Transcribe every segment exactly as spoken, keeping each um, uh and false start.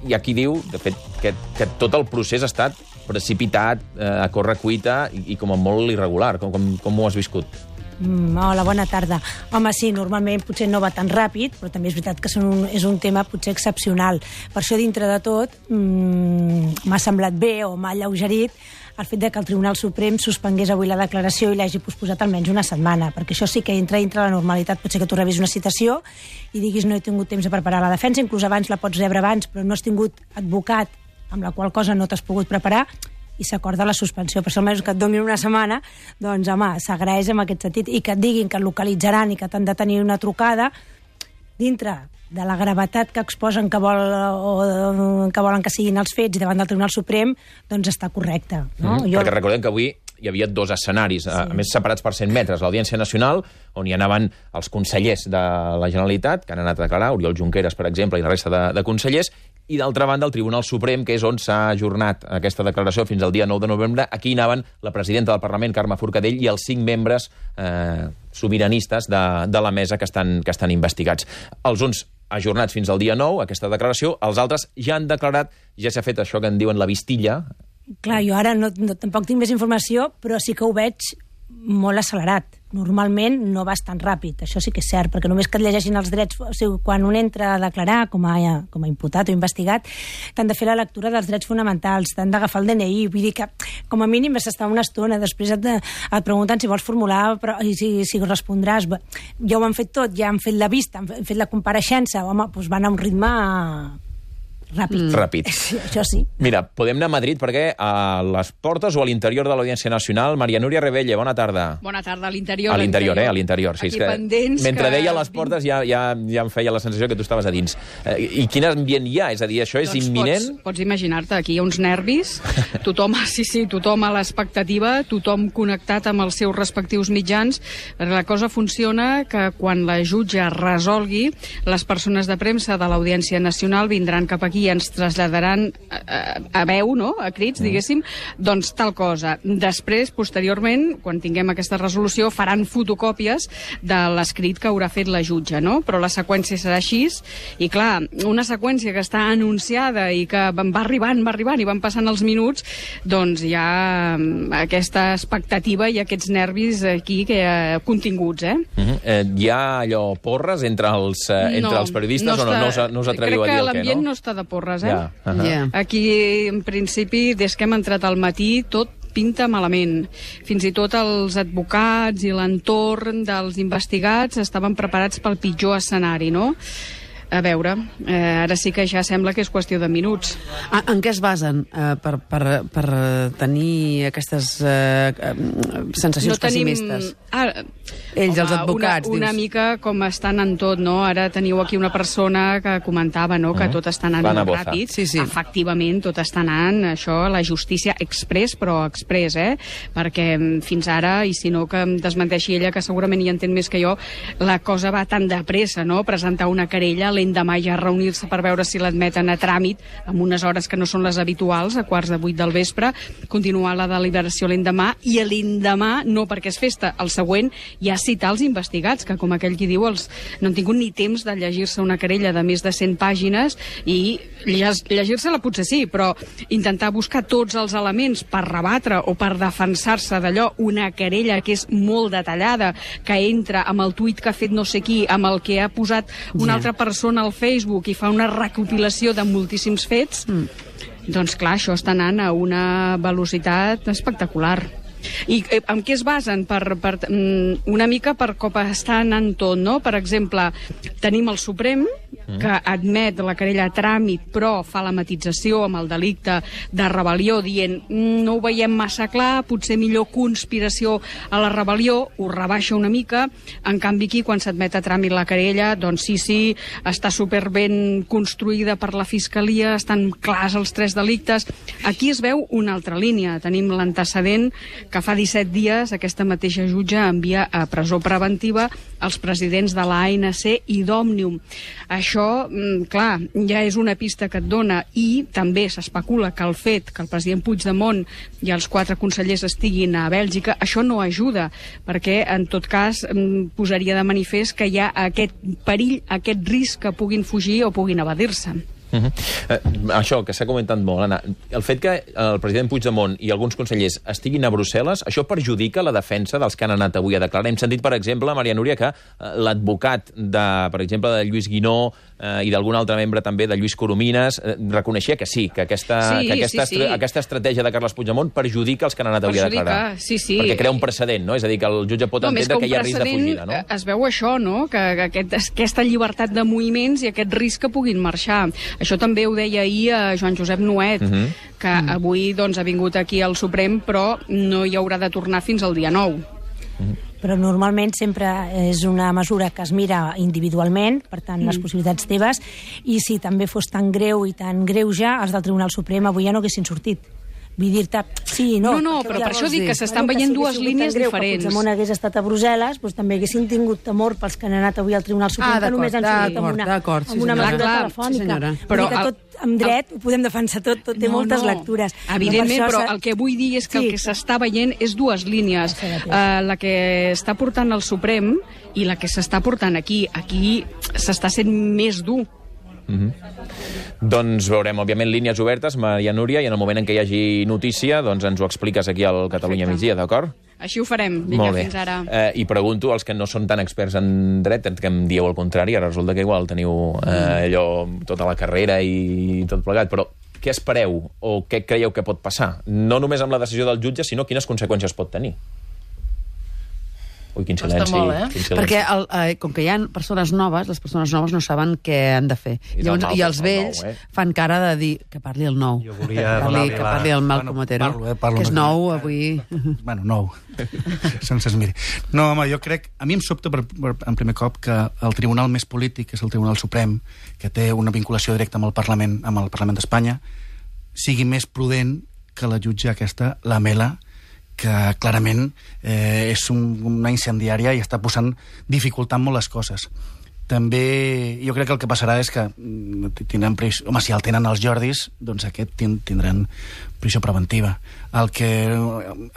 hi ha qui diu, de fet, que, que tot el procés ha estat precipitat, eh, a corre cuita i, i com a molt irregular. Com, com, com ho has viscut? Mm, hola, bona tarda. Home, sí, normalment potser no va tan ràpid, però també és veritat que un, és un tema potser excepcional. Per això, dintre de tot, mm, m'ha semblat bé o m'ha alleugerit el fet de que el Tribunal Suprem suspengués avui la declaració i l'hagi posposat almenys una setmana, perquè això sí que entra dintre la normalitat. Potser que tu rebis una citació i diguis no he tingut temps de preparar la defensa, inclús abans la pots rebre abans, però no has tingut advocat, amb la qual cosa no t'has pogut preparar, i s'acorda la suspensió. Per això almenys que et donin una setmana, doncs, home, s'agraeix en aquest sentit. I que et diguin que et localitzaran i que t'han de tenir una trucada, dintre de la gravetat que exposen que, vol, o que volen que siguin els fets i davant del Tribunal Suprem, doncs està correcte. No? Mm, jo... Perquè recordem que avui hi havia dos escenaris, sí. a més separats per cent metres. L'Audiència Nacional, on hi anaven els consellers de la Generalitat, que han anat a declarar, Oriol Junqueras, per exemple, i la resta de, de consellers, i d'altra banda el Tribunal Suprem, que és on s'ha ajornat aquesta declaració fins al dia nou de novembre. Aquí anaven la presidenta del Parlament, Carme Forcadell, i els cinc membres eh, sobiranistes de, de la mesa que estan, que estan investigats. Els uns ajornats fins al dia nou, aquesta declaració, els altres ja han declarat, ja s'ha fet això que en diuen la vistilla. Clar, jo ara no, no, tampoc tinc més informació, però sí que ho veig molt accelerat. Normalment no vas tan ràpid, això sí que és cert, perquè només que et llegeixin els drets, o sigui, quan un entra a declarar com a, com a imputat o investigat, t'han de fer la lectura dels drets fonamentals, t'han d'agafar el D N I, vull dir que com a mínim vas estar una estona, després et, et pregunten si vols formular però, i si, si respondràs. Ja ho han fet tot, ja han fet la vista, han fet la compareixença, home, doncs van a un ritme ràpid. Mm. Ràpid. Sí, això sí. Mira, podem anar a Madrid perquè a les portes o a l'interior de l'Audiència Nacional, Maria Núria Rebelle, bona tarda. Bona tarda, a l'interior. A l'interior, eh? A l'interior. Sí, aquí que pendents mentre que... deia les portes ja, ja, ja em feia la sensació que tu estaves a dins. Eh, I quin ambient hi ha? És a dir, això és doncs imminent? Pots, pots imaginar-te, aquí hi ha uns nervis, tothom, sí, sí, tothom a l'expectativa, tothom connectat amb els seus respectius mitjans. La cosa funciona que quan la jutge resolgui, les persones de premsa de l'Audiència Nacional vindran cap aquí i ens traslladaran a, a veu, no?, a crits, diguéssim, doncs tal cosa. Després, posteriorment, quan tinguem aquesta resolució, faran fotocòpies de l'escrit que haurà fet la jutge, no? Però la seqüència serà així, i clar, una seqüència que està anunciada i que va arribant, va arribant, i van passant els minuts, doncs hi ha aquesta expectativa i aquests nervis aquí que, eh, continguts, eh? Uh-huh. eh? Hi ha allò porres entre els, eh, entre no, els periodistes no o no, està, no, us, no us atreviu a dir el que, no? Crec que l'ambient no està de porres, eh? Ja. Uh-huh. Yeah. Aquí, en principi, des que hem entrat al matí, tot pinta malament. Fins i tot els advocats i l'entorn dels investigats estaven preparats pel pitjor escenari, no? A veure, eh, ara sí que ja sembla que és qüestió de minuts. Ah, en què es basen eh, per, per, per tenir aquestes eh, sensacions no tenim... pessimistes? Ah, Ells, home, els advocats, una, una dius. mica com estan en tot, no? Ara teniu aquí una persona que comentava, no?, que uh-huh. tot està anant molt ràpid. Sí, sí. Efectivament, tot està anant, això, la justícia express, però express, eh? Perquè fins ara, i si no que em desmenteixi ella, que segurament hi entén més que jo, la cosa va tan de pressa, no?, presentar una querella, l'endemà ja reunir-se per veure si l'admeten a tràmit, amb unes hores que no són les habituals, a quarts de vuit del vespre, continuar la deliberació l'endemà, i l'endemà, no perquè és festa, el següent ja citar els investigats, que com aquell qui diu, els, no han tingut ni temps de llegir-se una querella de més de cent pàgines, i llegir-se-la potser sí, però intentar buscar tots els elements per rebatre o per defensar-se d'allò, una querella que és molt detallada, que entra amb el tuit que ha fet no sé qui, amb el que ha posat una ja. altra persona al Facebook i fa una recopilació de moltíssims fets, mm. doncs clar, això està anant a una velocitat espectacular. I eh, en què es basen? Per, per, una mica per com està anant tot, no? Per exemple, tenim el Suprem, que admet la querella a tràmit, però fa la matització amb el delicte de rebel·lió, dient no ho veiem massa clar, potser millor conspiració a la rebel·lió, ho rebaixa una mica. En canvi aquí, quan s'admet a tràmit la querella, doncs sí, sí, està superben construïda per la Fiscalia, estan clars els tres delictes. Aquí es veu una altra línia. Tenim l'antecedent que fa disset dies aquesta mateixa jutge envia a presó preventiva els presidents de l'A N C i d'Òmnium. Això, clar, ja és una pista que et dona, i també s'especula que el fet que el president Puigdemont i els quatre consellers estiguin a Bèlgica, això no ajuda, perquè en tot cas posaria de manifest que hi ha aquest perill, aquest risc que puguin fugir o puguin evadir-se. Uh -huh. eh, això, que s'ha comentat molt, Anna, el fet que el president Puigdemont i alguns consellers estiguin a Brussel·les, això perjudica la defensa dels que han anat avui a declarar. Hem sentit, per exemple, Maria Núria, que eh, l'advocat, de, per exemple, de Lluís Guinó eh, i d'algun altre membre també, de Lluís Coromines, eh, reconeixia que sí, que aquesta, sí, que aquesta, sí, sí. aquesta estratègia de Carles Puigdemont perjudica els que han anat avui perjudica, a declarar. Sí, sí. Perquè crea un precedent, no? És a dir, que el jutge pot no, entendre que, que hi ha risc de fugida, no? Es veu això, no? Que, que aquest, aquesta llibertat de moviments i aquest risc que puguin marxar. Això també ho deia ahir a Joan Josep Nuet, uh-huh. que uh-huh. avui doncs, ha vingut aquí al Suprem, però no hi haurà de tornar fins al dia nou. Uh-huh. Però normalment sempre és una mesura que es mira individualment, per tant, mm. les possibilitats teves, i si també fos tan greu i tan greu ja, els del Tribunal Suprem avui ja no haguessin sortit. Vull dir-te, sí, no. No, no, però per això dic que s'estan veient dues línies diferents. Si Puigdemont hagués estat a Brussel·les, doncs també haguessin tingut temor pels que han anat avui al Tribunal Suprem, ah, que només han sortit amb una, amb una mesura clar, telefònica. Sí, però tot amb dret ho podem defensar tot, tot té no, moltes no. lectures. Evidentment, però, però el que vull dir és que sí. el que s'està veient és dues línies. Uh, la que està portant al Suprem i la que s'està portant aquí. Aquí s'està sent més dur. Mm-hmm. Doncs veurem, òbviament, línies obertes, Maria Núria, i en el moment en què hi hagi notícia, doncs ens ho expliques aquí al Catalunya Perfecte. Migdia, d'acord? Així ho farem. Vinga, fins ara. Eh, I pregunto als que no són tan experts en dret, que em dieu el contrari, ara resulta que igual teniu eh, allò, tota la carrera i tot plegat, però què espereu o què creieu que pot passar? No només amb la decisió del jutge, sinó quines conseqüències pot tenir? Ui, quin silenci. Molt, eh? quin silenci. Perquè el, eh, com que hi ha persones noves, les persones noves no saben què han de fer. I, Llavors, mal, i els vells nou, eh? fan cara de dir que parli el nou. Jo volia que parli, que parli el Malcom bueno, Otero, parlo, eh, parlo que és una nou mica. avui. Bueno, nou. Sense es miri. No, home, jo crec... A mi em sobta per, per, en primer cop que el tribunal més polític, que és el Tribunal Suprem, que té una vinculació directa amb el Parlament, amb el Parlament d'Espanya, sigui més prudent que la jutge aquesta, la Mela, que clarament eh, és un, una incendiària i està posant, dificultant molt les coses. També jo crec que el que passarà és que tindran prisió, home, si el tenen els Jordis, doncs aquest tindran prisió preventiva. El que,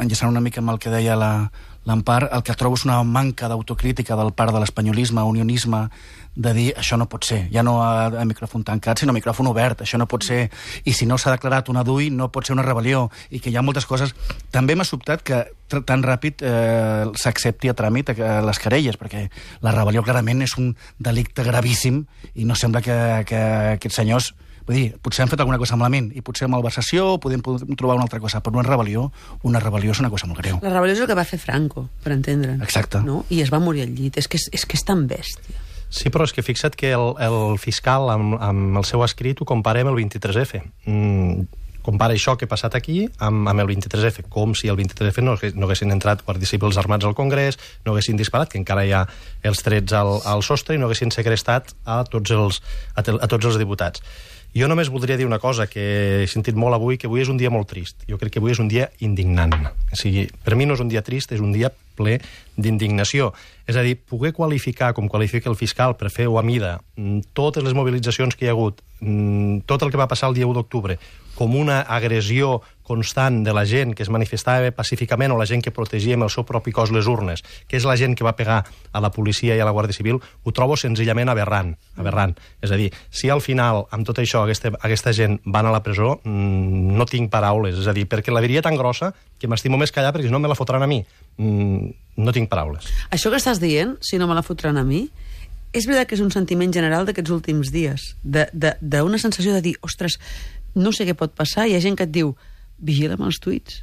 enllaçant una mica amb el que deia la, l'Empar, el que trobo és una manca d'autocrítica del part de l'espanyolisme, unionisme, de dir això no pot ser, ja no a, a micròfon tancat, sinó a micròfon obert, això no pot ser, i si no s'ha declarat una D U I no pot ser una rebel·lió, i que hi ha moltes coses. També m'ha sobtat que tan ràpid eh, s'accepti a tràmit eh, les querelles, perquè la rebel·lió clarament és un delicte gravíssim i no sembla que, que aquests senyors, vull dir, potser han fet alguna cosa malament i potser malversació, podem, podem trobar una altra cosa, però una rebel·lió, una rebel·lió és una cosa molt greu. La rebel·lió és el que va fer Franco, per entendre'n. Exacte. No? I es va morir al llit. És que és, és, que és tan bèstia. Sí, però és que fixa't que el, el fiscal, amb, amb el seu escrit, ho compara amb el vint-i-tres efe. Mm, compara això que ha passat aquí amb, amb el vint-i-tres efe, com si el vint-i-tres efe no, no haguessin entrat guàrdies civils armats al Congrés, no haguessin disparat, que encara hi ha els trets al, al sostre, i no haguessin segrestat a tots els, a, a tots els diputats. Jo només voldria dir una cosa que he sentit molt avui, que avui és un dia molt trist. Jo crec que avui és un dia indignant. O sigui, per mi no és un dia trist, és un dia ple d'indignació. És a dir, poder qualificar, com qualifica el fiscal, per fer-ho a mida, totes les mobilitzacions que hi ha hagut, tot el que va passar el dia u d'octubre, com una agressió constant de la gent que es manifestava pacíficament o la gent que protegia amb el seu propi cos les urnes, que és la gent que va pegar a la policia i a la Guàrdia Civil, ho trobo senzillament aberrant. aberrant. És a dir, si al final, amb tot això, aquesta, aquesta gent van a la presó, mmm, no tinc paraules. És a dir, perquè la diria tan grossa que m'estimo més callar perquè si no me la fotran a mi. Mm, no tinc paraules. Això que estàs dient, si no me la fotran a mi, és veritat que és un sentiment general d'aquests últims dies, d'una sensació de dir, ostres, no sé què pot passar, hi ha gent que et diu vigila amb els tuits.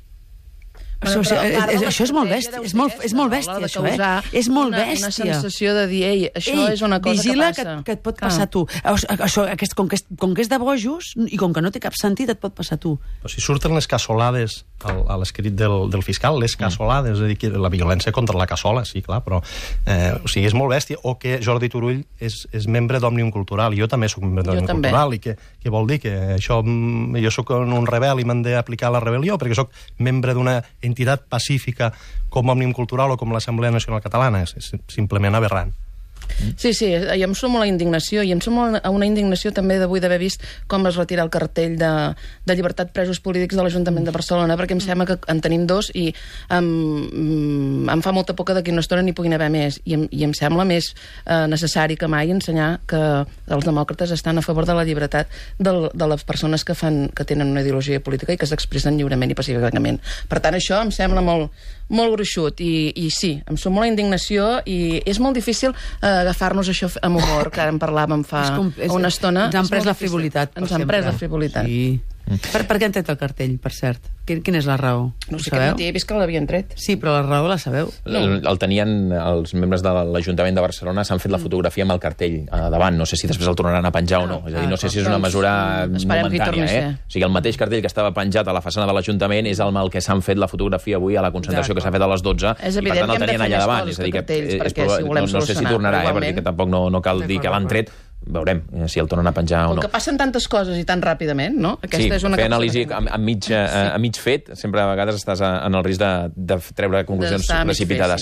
Bueno, això, és, és, això és molt bèstia, és molt, és molt bèstia, això, eh? És molt una, bèstia. Una sensació de dir, ei, això ei, és una cosa vigila que passa. Que, que et pot passar ah. tu. Això, aquest, com, que és, com que és de bojos, i com que no té cap sentit, et pot passar tu. Però si surten les cassolades al, a l'escrit del, del fiscal, les cassolades, mm. és a dir, que la violència contra la cassola, sí, clar, però eh, o sigui, és molt bèstia. O que Jordi Turull és, és membre d'Òmnium Cultural, i jo també soc membre d'Òmnium Cultural, i que, que vol dir que això, jo soc un rebel i m'han d'aplicar la rebel·lió, perquè soc membre d'una entitat pacífica com Òmnium Cultural o com l'Assemblea Nacional Catalana. És, és simplement aberrant. Sí, sí, i em sumo a la indignació, i em sumo a una indignació també d'avui d'haver vist com es retira el cartell de, de llibertat presos polítics de l'Ajuntament de Barcelona, perquè em sembla que en tenim dos i em, em fa molta por que d'aquí una estona n'hi puguin haver més, i em, i em sembla més eh, necessari que mai ensenyar que els demòcrates estan a favor de la llibertat del, de les persones que, fan, que tenen una ideologia política i que s'expressen lliurement i pacíficament. Per tant, això em sembla molt, molt gruixut, i, i sí, em sumo a la indignació, i és molt difícil eh, agafar-nos això amb humor, que ara en parlàvem fa és com, és, una estona. Ens han pres la frivolitat. Ens han pres la frivolitat. Sí. Per, per què han tret el cartell, per cert? Quin, quina és la raó? No sé, aquest matí he vist que l'havien tret. Sí, però la raó la sabeu? No. El, el tenien els membres de l'Ajuntament de Barcelona, s'han fet la fotografia amb el cartell a davant. No sé si després el tornaran a penjar ah, o no. És a dir, no sé si és una mesura doncs, momentània. Eh? O sigui, el mateix cartell que estava penjat a la façana de l'Ajuntament és el que s'han fet la fotografia avui a la concentració que s'ha fet a les dotze. És evident, i per tant el tenien allà davant. És a dir, que, que perquè, si no, no sé si tornarà, eh, perquè tampoc no, no cal dir que l'han tret. Veurem si el tornen a penjar o no. Com que passen tantes coses i tan ràpidament, no? Aquesta sí, és una fer anàlisi a, a, mig, a, a mig fet, sempre a vegades estàs a, en el risc de, de treure conclusions precipitades.